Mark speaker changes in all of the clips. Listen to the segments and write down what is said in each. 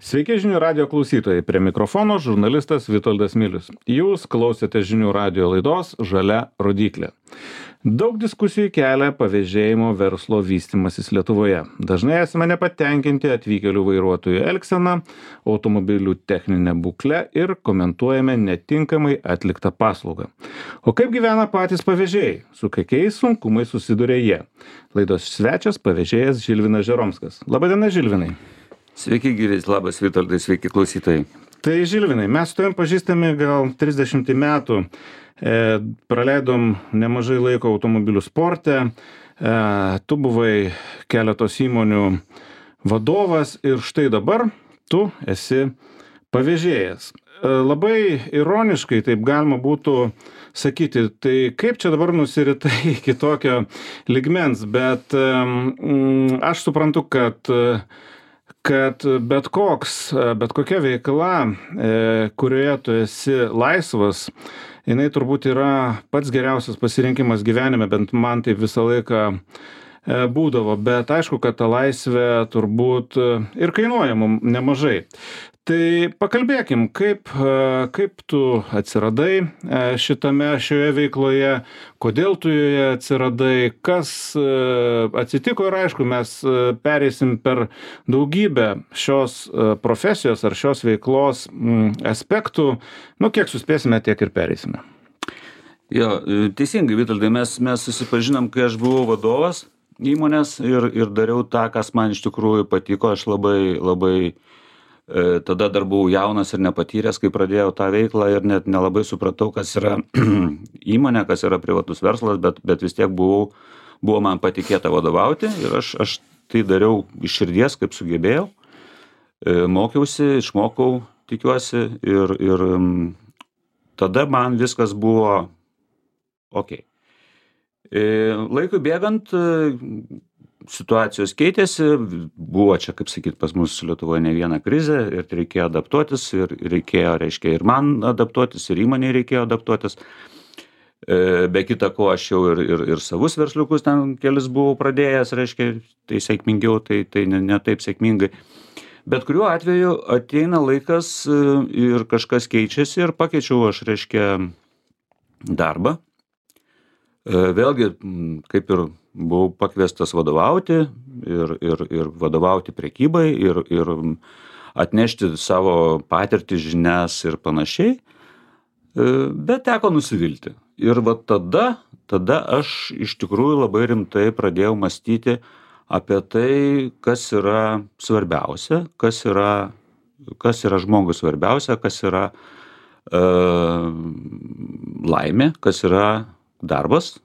Speaker 1: Sveiki žinių radio klausytojai, prie mikrofono žurnalistas Vitoldas Milius. Jūs klausėte žinių radio laidos Žalia rodyklė. Daug diskusijų kelia pavėžėjimo verslo vystimasis Lietuvoje. Dažnai esame nepatenkinti atvykėlių vairuotojų elgseną, automobilių techninę būklę ir komentuojame netinkamai atliktą paslaugą. O kaip gyvena patys pavėžėjai? Su kokiais sunkumais susiduria jie? Laidos svečias pavėžėjas Žilvinas Žeromskas. Labadiena, Žilvinai.
Speaker 2: Sveiki, gyvės, labas Vitoldai, sveiki klausytojai.
Speaker 1: Tai Žilvinai, mes su tavim pažįstami gal 30 metų, praleidom nemažai laiko automobilių sporte, tu buvai keletos įmonių vadovas ir štai dabar tu esi pavėžėjas. Labai ironiškai taip galima būtų sakyti, tai kaip čia dabar nusiritai iki tokio ligmens, bet aš suprantu, kad bet kokia veikla, kurioje tu esi laisvas, jinai turbūt yra pats geriausias pasirinkimas gyvenime, bent man taip visą laiką būdavo, bet aišku, kad ta laisvė turbūt ir kainuoja mums nemažai. Tai pakalbėkim, kaip tu atsiradai šioje veikloje, kodėl tu joje atsiradai, kas atsitiko ir aišku, mes pereisim per daugybę šios profesijos ar šios veiklos aspektų, kiek suspėsime, tiek ir pereisime.
Speaker 2: Jo, teisingai, Vitoldai, mes susipažinom, kai aš buvau vadovas įmonės ir dariau tą, kas man iš tikrųjų patiko, aš labai tada dar buvau jaunas ir nepatyręs, kai pradėjau tą veiklą ir net nelabai supratau, kas yra įmonė, kas yra privatus verslas, bet vis tiek buvo man patikėta vadovauti ir aš tai dariau iš širdies, kaip sugebėjau, mokiausi, išmokau, tikiuosi ir tada man viskas buvo ok. Laikui bėgant, situacijos keitėsi, buvo čia, kaip sakyt, pas mus Lietuvoje ne viena krizė ir reikėjo adaptuotis ir reikėjo, reiškia, ir man adaptuotis, ir įmonei reikėjo adaptuotis. Be kita ko, aš jau ir savus versliukus ten kelis buvau pradėjęs, reiškia, tai sėkmingiau, tai ne taip sėkmingai. Bet kuriuo atveju ateina laikas ir kažkas keičiasi ir pakeičiau aš, reiškia, darbą. Vėlgi, kaip ir buvau pakviestas vadovauti ir vadovauti prekybai ir atnešti savo patirtį, žinias ir panašiai, bet teko nusivilti. Ir va tada aš iš tikrųjų labai rimtai pradėjau mąstyti apie tai, kas yra svarbiausia, kas yra žmogui svarbiausia, kas yra laimė, kas yra darbas,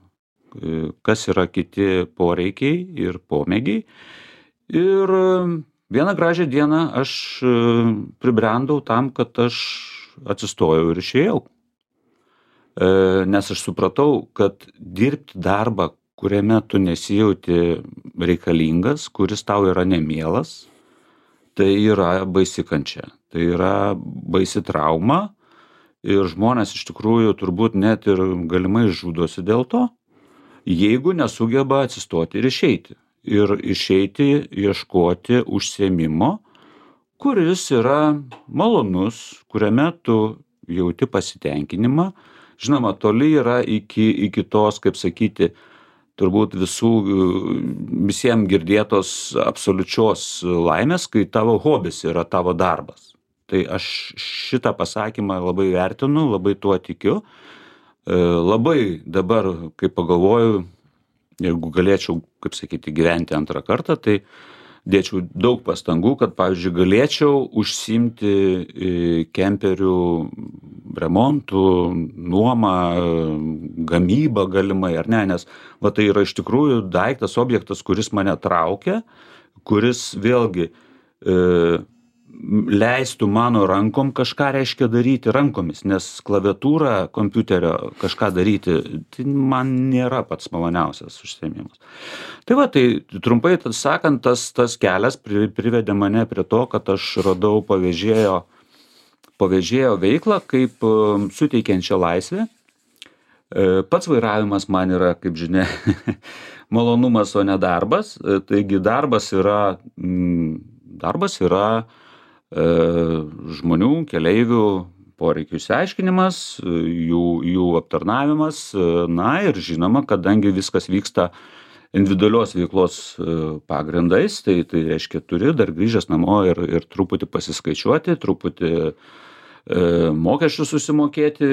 Speaker 2: kas yra kiti poreikiai ir pomėgiai. Ir vieną gražią dieną aš pribrendau tam, kad aš atsistojau ir išėjau. Nes aš supratau, kad dirbti darbą, kuriame tu nesijauti reikalingas, kuris tau yra nemielas, tai yra baisi kančia. Tai yra baisi trauma ir žmonės iš tikrųjų turbūt net ir galimai žudosi dėl to, jeigu nesugeba atsistoti ir išeiti. Ir išeiti, ieškoti užsiėmimo, kuris yra malonus, kuriame tu jauti pasitenkinimą. Žinoma, toli yra iki tos, kaip sakyti, turbūt visiems girdėtos absoliučios laimės, kai tavo hobis yra tavo darbas. Tai aš šitą pasakymą labai vertinu, labai tuo tikiu. Labai dabar, kai pagalvoju, jeigu galėčiau, kaip sakyti, gyventi antrą kartą, tai dėčiau daug pastangų, kad, pavyzdžiui, galėčiau užsiimti kemperių remontų, nuomą, gamybą galimai, ar ne, nes va tai yra iš tikrųjų daiktas, objektas, kuris mane traukia, kuris vėlgi leistų mano rankom kažką reiškia daryti rankomis, nes klaviatūra kompiuterio kažką daryti, tai man nėra pats maloniausias užsiėmimas. Tai va, tai trumpai sakant, tas kelias privedė mane prie to, kad aš radau pavėžėjo veiklą kaip suteikiančią laisvę. Pats vairavimas man yra, kaip žinia, malonumas, o ne darbas. Taigi darbas yra žmonių, keleivių poreikių išsiaiškinimas, jų aptarnavimas, na ir žinoma, kadangi viskas vyksta individualios veiklos pagrindais, tai reiškia turi dar grįžęs namo ir truputį pasiskaičiuoti, truputį mokesčius susimokėti,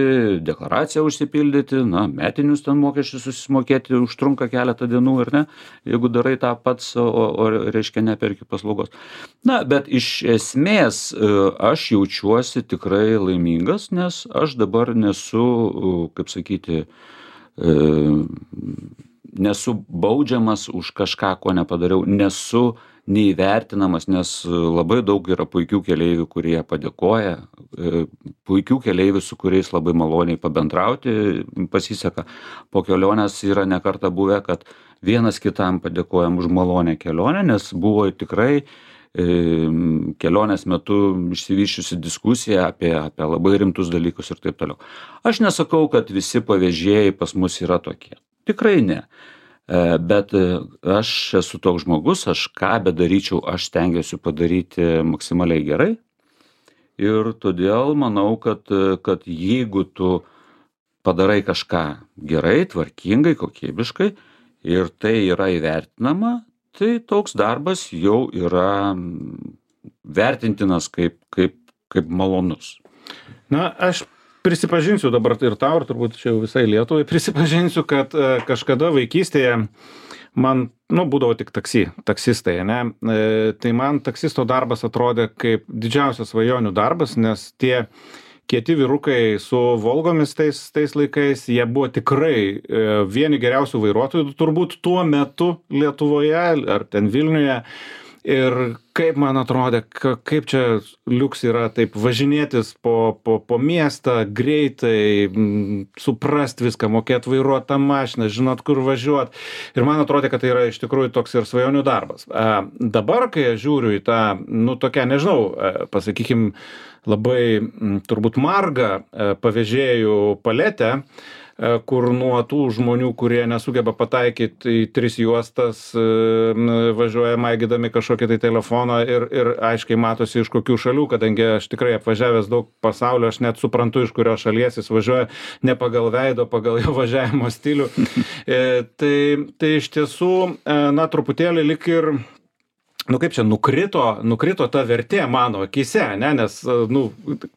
Speaker 2: deklaraciją užsipildyti, na, metinius ten mokesčius susimokėti užtrunka keletą dienų, ar ne, jeigu darai tą pats, o reiškia neperki paslaugos. Na, bet iš esmės aš jaučiuosi tikrai laimingas, nes aš dabar nesu, kaip sakyti, nesu baudžiamas už kažką, ko nepadariau, nesu neįvertinamas, nes labai daug yra puikių keleivių, kurie padėkoja, puikių keleivių, su kuriais labai maloniai pabendrauti pasiseka. Po kelionės yra ne kartą buvę, kad vienas kitam padėkojam už malonę kelionę, nes buvo tikrai kelionės metu išsivysčiusi diskusija apie labai rimtus dalykus ir taip toliau. Aš nesakau, kad visi pavėžėjai pas mus yra tokie. Tikrai ne. Bet aš esu toks žmogus, aš ką bedaryčiau, aš stengiuosi padaryti maksimaliai gerai. Ir todėl manau, kad jeigu tu padarai kažką gerai, tvarkingai, kokybiškai ir tai yra įvertinama, tai toks darbas jau yra vertintinas kaip malonus.
Speaker 1: Na, aš prisipažinsiu dabar ir tau, ir turbūt čia jau visai Lietuvai, prisipažinsiu, kad kažkada vaikystėje man, būdavo tik taksistai, ne? Tai man taksisto darbas atrodė kaip didžiausias svajonių darbas, nes tie kieti vyrukai su Volgomis tais laikais, jie buvo tikrai vieni geriausių vairuotojų, turbūt tuo metu Lietuvoje ar ten Vilniuje. Ir kaip man atrodė, kaip čia liuks yra taip važinėtis po miestą, greitai, suprast viską, mokėt vairuot tą mašiną, žinot, kur važiuot. Ir man atrodė, kad tai yra iš tikrųjų toks ir svajonių darbas. Dabar, kai aš žiūriu į tą, tokią, nežinau, pasakykim, labai turbūt margą pavėžėjų paletę, kur nuo tų žmonių, kurie nesugeba pataikyti į 3 juostas, važiuoja maigydami kažkokį tai telefoną ir aiškiai matosi iš kokių šalių, kadangi aš tikrai apvažiavęs daug pasaulio, aš net suprantu, iš kurios šalies jis važiuoja, ne pagal veido, pagal jo važiavimo stilių. Tai iš tiesų, truputėlį lik ir kaip čia, nukrito ta vertė mano akyse, ne, nes,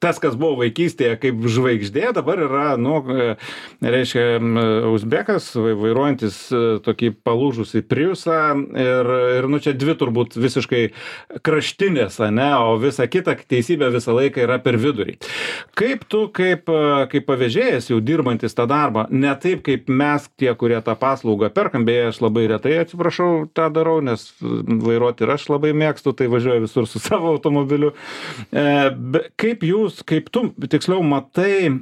Speaker 1: tas, kas buvo vaikystėje kaip žvaigždė, dabar yra, reiškia, uzbekas, vairuojantis tokį palūžusį Priusą ir, čia dvi turbūt visiškai kraštinės, ne, o visa kita teisybė visą laiką yra per vidurį. Kaip tu, kaip pavėžėjas jau dirbantis tą darbą, ne taip kaip mes tie, kurie tą paslaugą perkam, beje, aš labai retai, atsiprašau, tą darau, nes vairuoti ir aš labai mėgstu, tai važiuoju visur su savo automobiliu. Kaip tu, tiksliau, matai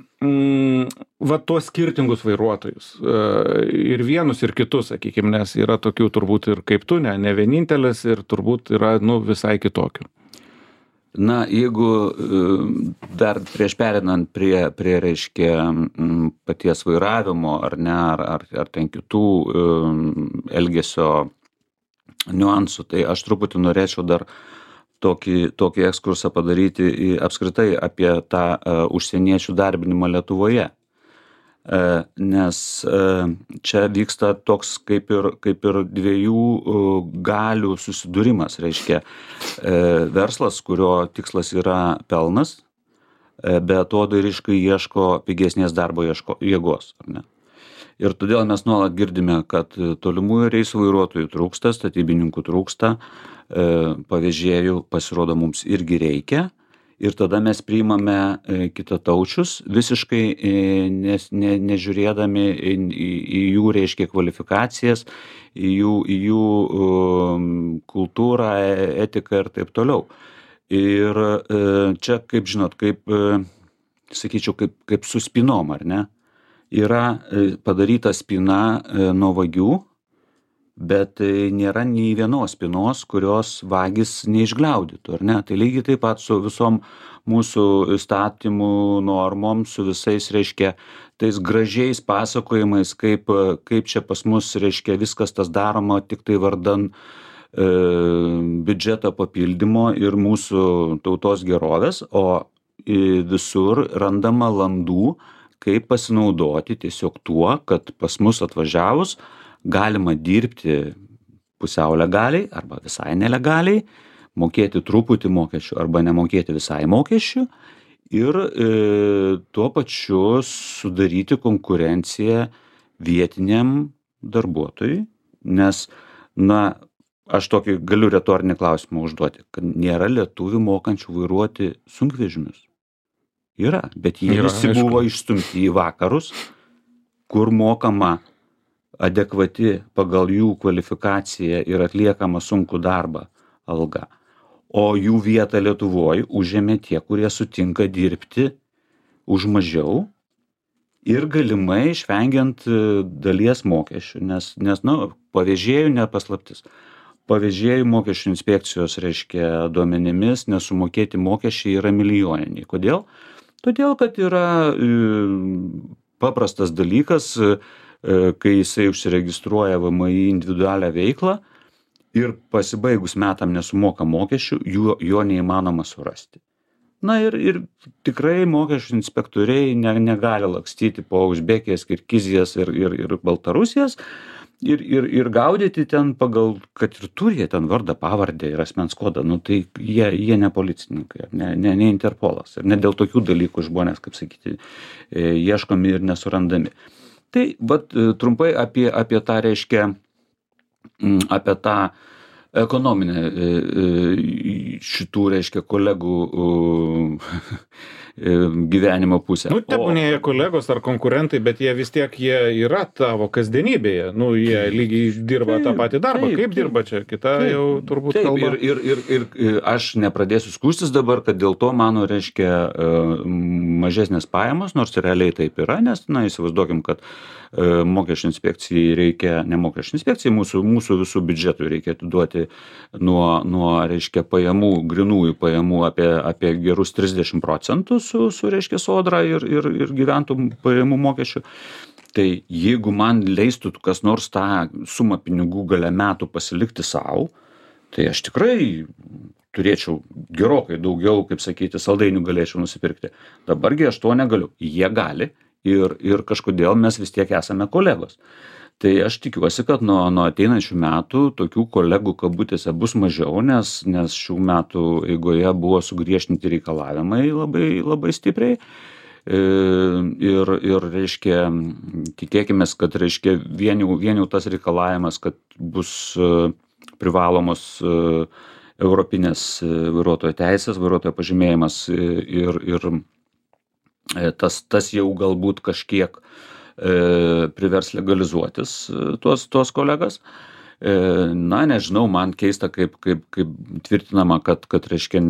Speaker 1: tuos skirtingus vairuotojus ir vienus ir kitus, sakykime, nes yra tokių turbūt ir kaip tu, ne vienintelis ir turbūt yra, visai kitokių.
Speaker 2: Na, jeigu dar prieš perinant prie reiškia paties vairavimo ar ne, ar ten kitų elgesio niuansų, tai aš truputį norėčiau dar tokį ekskursą padaryti apskritai apie tą užsieniečių darbinimą Lietuvoje. Nes čia vyksta toks kaip ir dviejų galių susidūrimas, reiškia verslas, kurio tikslas yra pelnas, bet atodairyškai ieško pigesnės darbo jėgos, ar ne? Ir todėl mes nuolat girdime, kad tolimųjų reisų vairuotojų trūksta, statybininkų trūksta, pavėžėjų pasirodo mums irgi reikia. Ir tada mes priimame kitataučius, visiškai nežiūrėdami į jų, reiškia, kvalifikacijas, į jų kultūrą, etiką ir taip toliau. Ir čia, kaip žinot, sakyčiau, kaip su spinom, ar ne? Yra padaryta spina nuo vagių, bet nėra nei vienos spinos, kurios vagis neišgliaudytų, ar ne? Tai lygiai taip pat su visom mūsų įstatymų normom, su visais, reiškia, tais gražiais pasakojimais, kaip čia pas mus, reiškia, viskas tas daroma tik tai vardan biudžeto papildymo ir mūsų tautos gerovės, o visur randama landų, kaip pasinaudoti tiesiog tuo, kad pas mus atvažiavus galima dirbti pusiau legaliai arba visai nelegaliai, mokėti truputį mokesčių arba nemokėti visai mokesčių ir tuo pačiu sudaryti konkurenciją vietiniam darbuotojui, nes, na, aš tokį galiu retorinį klausimą užduoti, kad nėra lietuvių mokančių vairuoti sunkvežimius. Yra, bet jie visi buvo išstumti į vakarus, kur mokama adekvati pagal jų kvalifikaciją ir atliekama sunkų darbą alga. O jų vietą Lietuvoje užėmė tie, kurie sutinka dirbti už mažiau ir galimai išvengiant dalies mokesčių, nes pavėžėjų nepaslaptis. Pavėžėjų mokesčių inspekcijos, reiškia, duomenimis nesumokėti mokesčiai yra milijoniniai. Kodėl? Todėl, kad yra paprastas dalykas, kai jisai užsiregistruoja VMI individualią veiklą ir pasibaigus metam nesumoka mokesčių, jo neįmanoma surasti. Na ir tikrai mokesčių inspektoriai negali lakstyti po Uzbekijas, Kirgizijas ir Baltarusijas ir gaudyti ten pagal, kad ir turi jie ten vardą, pavardę ir asmens kodą, tai jie ne policininkai, ne Interpolas. Ir ne dėl tokių dalykų žmonės, kaip sakyti, ieškomi ir nesurandami. Tai trumpai apie tą, reiškia, apie tą ekonominę šitų, reiškia, kolegų gyvenimo pusę.
Speaker 1: Tebūnie jie kolegos ar konkurentai, bet jie vis tiek jie yra tavo kasdienybėje. Jie lygiai dirba tą patį darbą. Kaip dirba čia? Kita jau turbūt kalba.
Speaker 2: Ir aš nepradėsiu skųstis dabar, kad dėl to mano, reiškia, mažesnės pajamos, nors realiai taip yra, nes, įsivaizduokim, kad mokesčių inspekcijai reikia, ne mokesčių inspekcijai, mūsų visų biudžetų reikia atiduoti nuo, reiškia, pajamų, grinųjų pajamų apie gerus 30% su, reiškia, sodra ir gyventojų pajamų mokesčių. Tai jeigu man leistų kas nors tą sumą pinigų gale metų pasilikti savo, tai aš tikrai turėčiau gerokai daugiau, kaip sakyti, saldainių galėčiau nusipirkti. Dabargi aš to negaliu. Jie gali. Ir kažkodėl mes vis tiek esame kolegos. Tai aš tikiuosi, kad nuo ateinančių metų tokių kolegų kabutėse bus mažiau, nes šių metų eigoje buvo sugriežtinti reikalavimai labai, labai stipriai. Ir reiškia, tikėkime, kad, reiškia, vien jau tas reikalavimas, kad bus privalomos europinės vairuotojo teisės, vairuotojo pažymėjimas ir tas jau galbūt kažkiek privers legalizuotis tuos kolegas. Nežinau, man keista, kaip tvirtinama, kad reiškia,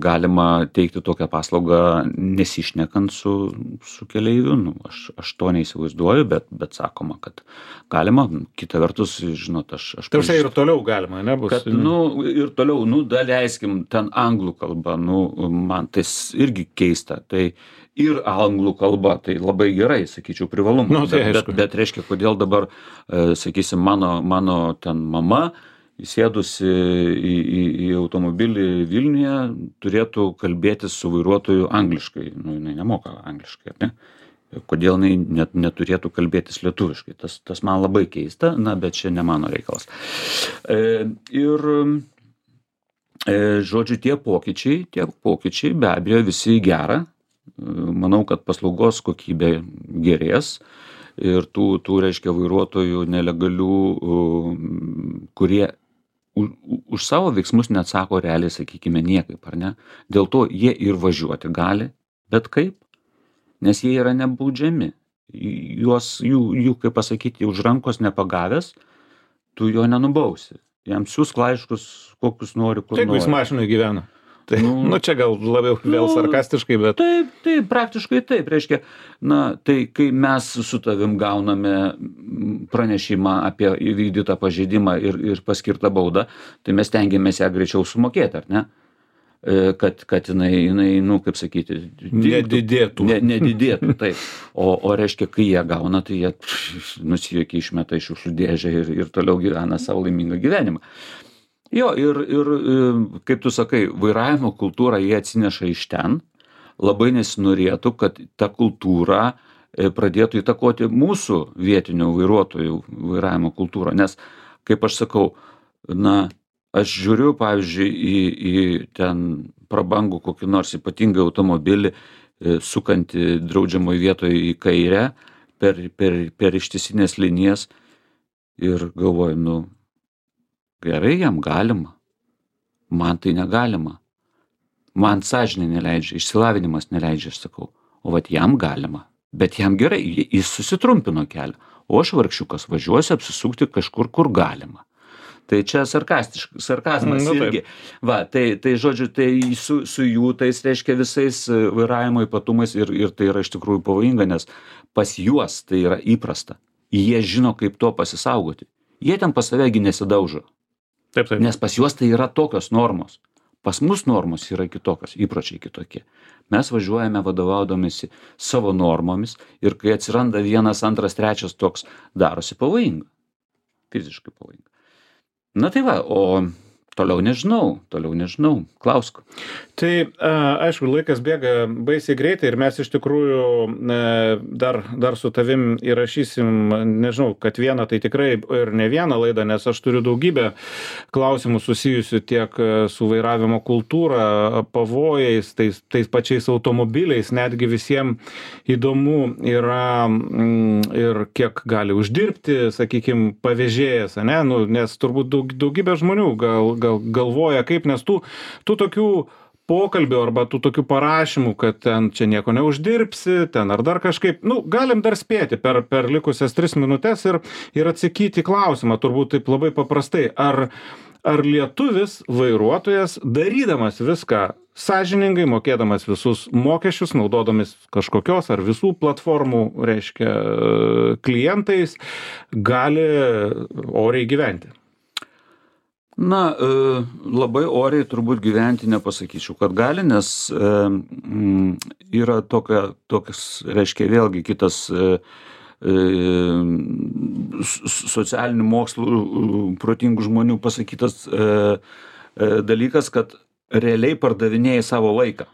Speaker 2: galima teikti tokią paslaugą nesišnekant su keleiviu. Aš to neįsivaizduoju, bet sakoma, kad galima. Kita vertus, žinot, aš
Speaker 1: Tarsi ir toliau galima, nebus?
Speaker 2: Kad, ir toliau, daleiskim, ten anglų kalba, man tai irgi keista. Tai ir anglų kalba, tai labai gerai, sakyčiau, privalumas. Bet reiškia, kodėl dabar, sakysim, mano ten mama, įsėdusi į automobilį Vilniuje, turėtų kalbėtis su vairuotoju angliškai. Jinai nemoka angliškai, ne? Kodėl jinai neturėtų kalbėtis lietuviškai? Tas man labai keista, bet čia ne mano reikalas. Žodžiu, tie pokyčiai be abejo visi į gerą. Manau, kad paslaugos kokybė gerės ir tų reiškia, vairuotojų nelegalių, kurie už savo veiksmus neatsako realiai, sakykime, niekaip, ar ne? Dėl to jie ir važiuoti gali, bet kaip? Nes jie yra nebaudžiami. Jų, kaip pasakyti, už rankos nepagavęs, tu jo nenubausi. Jam siūsk laiškus, kokius nori, kur nori.
Speaker 1: Jeigu jis mašinai gyvena. Tai, čia gal labiau vėl sarkastiškai, bet...
Speaker 2: Taip, praktiškai taip. Reiškia, tai kai mes su tavim gauname pranešimą apie įvykdytą pažeidimą ir paskirtą baudą, tai mes tengiamės ją greičiau sumokėti, ar ne? Kad jinai, kaip sakyti...
Speaker 1: Nedidėtų.
Speaker 2: Nedidėtų, taip. O reiškia, kai jie gauna, tai jie nusijuokia, išmeta iš šiukšlių dėžę ir toliau gyvena savo laimingą gyvenimą. Jo, ir kaip tu sakai, vairavimo kultūrą jie atsineša iš ten. Labai nesinorėtų, kad ta kultūra pradėtų įtakoti mūsų vietinių vairuotojų vairavimo kultūrą. Nes, kaip aš sakau, na, aš žiūriu, pavyzdžiui, į ten prabangų kokį nors ypatingą automobilį, sukantį draudžiamoje vietoje į kairę per ištisinės linijas ir galvoju, nu, gerai, jam galima, man tai negalima. Man sąžinė neleidžia, išsilavinimas neleidžia, aš sakau, o vat jam galima, bet jam gerai, jis susitrumpino kelią, o aš vargšiukas važiuosiu apsisukti kažkur, kur galima. Tai čia sarkazmas irgi. Va, tai žodžiu, tai su jų tais, reiškia, visais vairavimo ypatumais ir tai yra iš tikrųjų pavojinga, nes pas juos tai yra įprasta. Jie žino, kaip to pasisaugoti. Jie ten pas savegi nesidaužo.
Speaker 1: Taip.
Speaker 2: Nes pas juos tai yra tokios normos. Pas mus normos yra kitokios, įpročiai kitokie. Mes važiuojame vadovaudomisi savo normomis ir kai atsiranda vienas, antras, trečias toks, darosi pavojinga. Fiziškai pavojinga. Na tai va, o toliau nežinau, klausk.
Speaker 1: Tai aišku, laikas bėga baisiai greitai ir mes iš tikrųjų dar su tavim įrašysim, nežinau, kad vieną, tai tikrai ir ne vieną laidą, nes aš turiu daugybę klausimų susijusių tiek su vairavimo kultūra, pavojais, tais pačiais automobiliais, netgi visiems įdomu yra ir kiek gali uždirbti, sakykime, pavėžėjas, ne? Nu, nes turbūt daugybė žmonių galvoja kaip, nes tų tokių pokalbių arba tų tokių parašymų, kad ten čia nieko neuždirbsi, ten ar dar kažkaip, nu, galim dar spėti per likusias 3 minutės ir atsakyti klausimą, turbūt taip labai paprastai, ar lietuvis vairuotojas, darydamas viską sąžiningai, mokėdamas visus mokesčius, naudodamis kažkokios ar visų platformų, reiškia, klientais, gali oriai gyventi?
Speaker 2: Na, labai oriai turbūt gyventi nepasakyčiau, kad gali, nes yra tokias, reiškia, vėlgi kitas socialinių mokslų protingų žmonių pasakytas dalykas, kad realiai pardavinėjai savo laiką.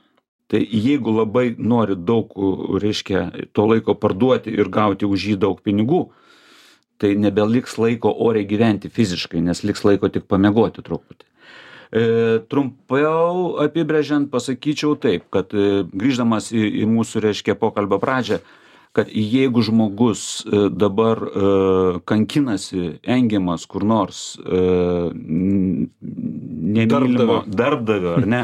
Speaker 2: Tai jeigu labai nori daug, reiškia, to laiko parduoti ir gauti už jį daug pinigų, tai nebeliks laiko oriai gyventi fiziškai, nes liks laiko tik pamiegoti truputį. Trumpiau apibrėžiant pasakyčiau taip, kad grįždamas į mūsų, reiškia, pokalbio pradžią, kad jeigu žmogus dabar kankinasi, engiamas kur nors nemylimo darbdavio, ar ne,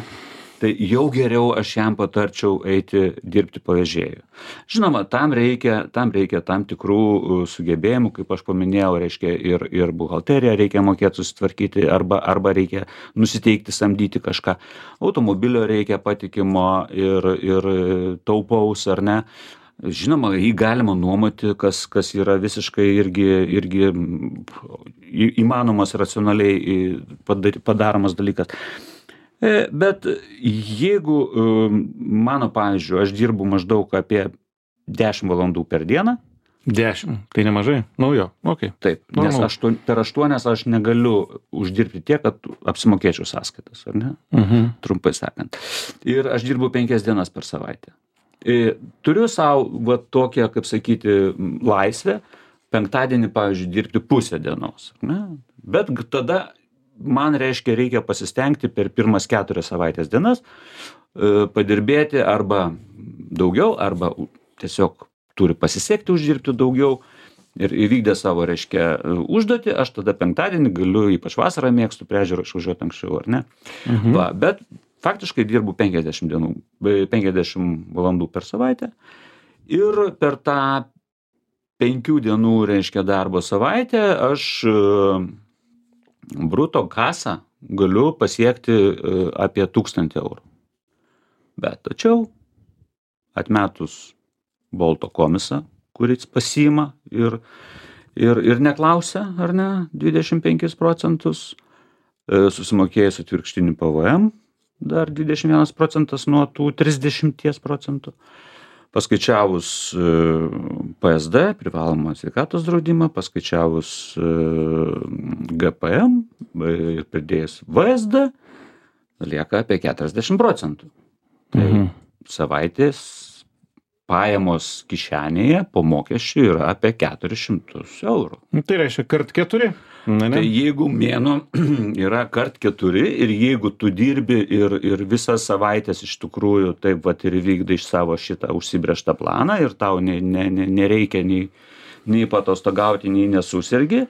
Speaker 2: tai jau geriau aš jam patarčiau eiti dirbti pavėžėju. Žinoma, tam reikia tam tikrų sugebėjimų, kaip aš paminėjau, reiškia, ir buhalteriją reikia mokėti susitvarkyti, arba reikia nusiteikti samdyti kažką. Automobilio reikia patikimo ir taupaus, ar ne. Žinoma, jį galima nuomoti, kas yra visiškai irgi įmanomas racionaliai padaromas dalykas. Bet jeigu mano, pavyzdžiui, aš dirbu maždaug apie 10 valandų per dieną.
Speaker 1: 10, tai nemažai? Nu jo, okei.
Speaker 2: Taip, nes per 8 aš negaliu uždirbti tiek, kad apsimokėčiau sąskaitas, ar ne? Trumpai sakant. Ir aš dirbu 5 dienas per savaitę. Turiu savo va tokią, kaip sakyti, laisvę, penktadienį, pavyzdžiui, dirbti pusę dienos, ne? Bet tada man, reiškia, reikia pasistengti per pirmas 4 savaitės dienas padirbėti arba daugiau, arba tiesiog turi pasisekti uždirbti daugiau ir įvykdė savo, reiškia, užduotį, aš tada penktadienį galiu, ypač vasarą mėgstu prie ežero išvažiuoti anksčiau, ar ne? Va, bet faktiškai dirbu 50 valandų per savaitę ir per tą 5 dienų, reiškia, darbo savaitę aš bruto kasą galiu pasiekti apie 1000 eurų. Bet tačiau atmetus Bolto komisą, kuris pasiima ir neklausia, ar ne, 25%, susimokėjus atvirkštinį PVM, dar 21% nuo tų 30%, paskaičiavus PSD, privalomą sveikatos draudimą, paskaičiavus GPM ir pridėjus VSD, lieka apie 40%. Tai savaitės pajamos kišenėje po mokesčių yra apie 400 eurų.
Speaker 1: Tai reiškia kart 4.
Speaker 2: Tai jeigu mėnuo yra kart 4 ir jeigu tu dirbi ir visas savaitės iš tikrųjų taip vat ir vykdai iš savo šitą užsibrėžtą planą ir tau nereikia nei patostogauti, nei nesusirgi,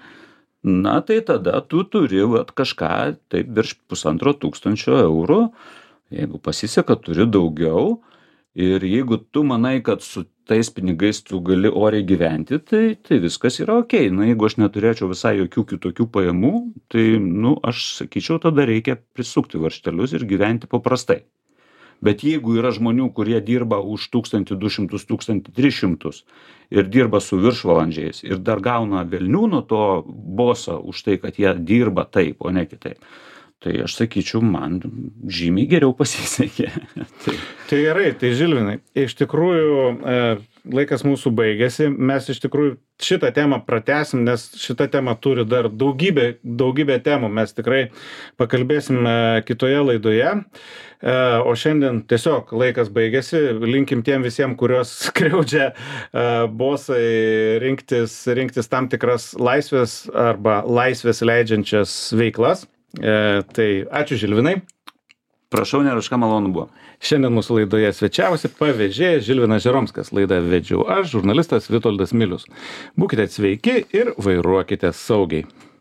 Speaker 2: na tai tada tu turi vat kažką taip virš 1500 eurų. Jeigu pasiseka, turi daugiau. Ir jeigu tu manai, kad su tais pinigais tu gali oriai gyventi, tai viskas yra okei. Na, jeigu aš neturėčiau visai jokių kitokių pajamų, tai, aš sakyčiau, tada reikia prisukti varžtelius ir gyventi paprastai. Bet jeigu yra žmonių, kurie dirba už 1200, 1300 ir dirba su viršvalandžiais ir dar gauna velnių nuo to boso už tai, kad jie dirba taip, o ne kitaip, tai aš sakyčiau, man žymiai geriau pasisekė.
Speaker 1: Tai gerai, tai Žilvinai, iš tikrųjų laikas mūsų baigėsi, mes iš tikrųjų šitą temą pratęsim, nes šita tema turi dar daugybę temų, mes tikrai pakalbėsim kitoje laidoje, o šiandien tiesiog laikas baigėsi, linkim tiem visiems, kurios skriaudžia bosai rinktis tam tikras laisvės arba laisvės leidžiančias veiklas. Tai ačiū Žilvinai.
Speaker 2: Prašau, nėra malonu buvo.
Speaker 1: Šiandien mūsų laidoje svečiavosi pavėžėjas Žilvinas Žeromskas. Laidą vedžiau aš, žurnalistas Vitoldas Milius. Būkite sveiki ir vairuokite saugiai.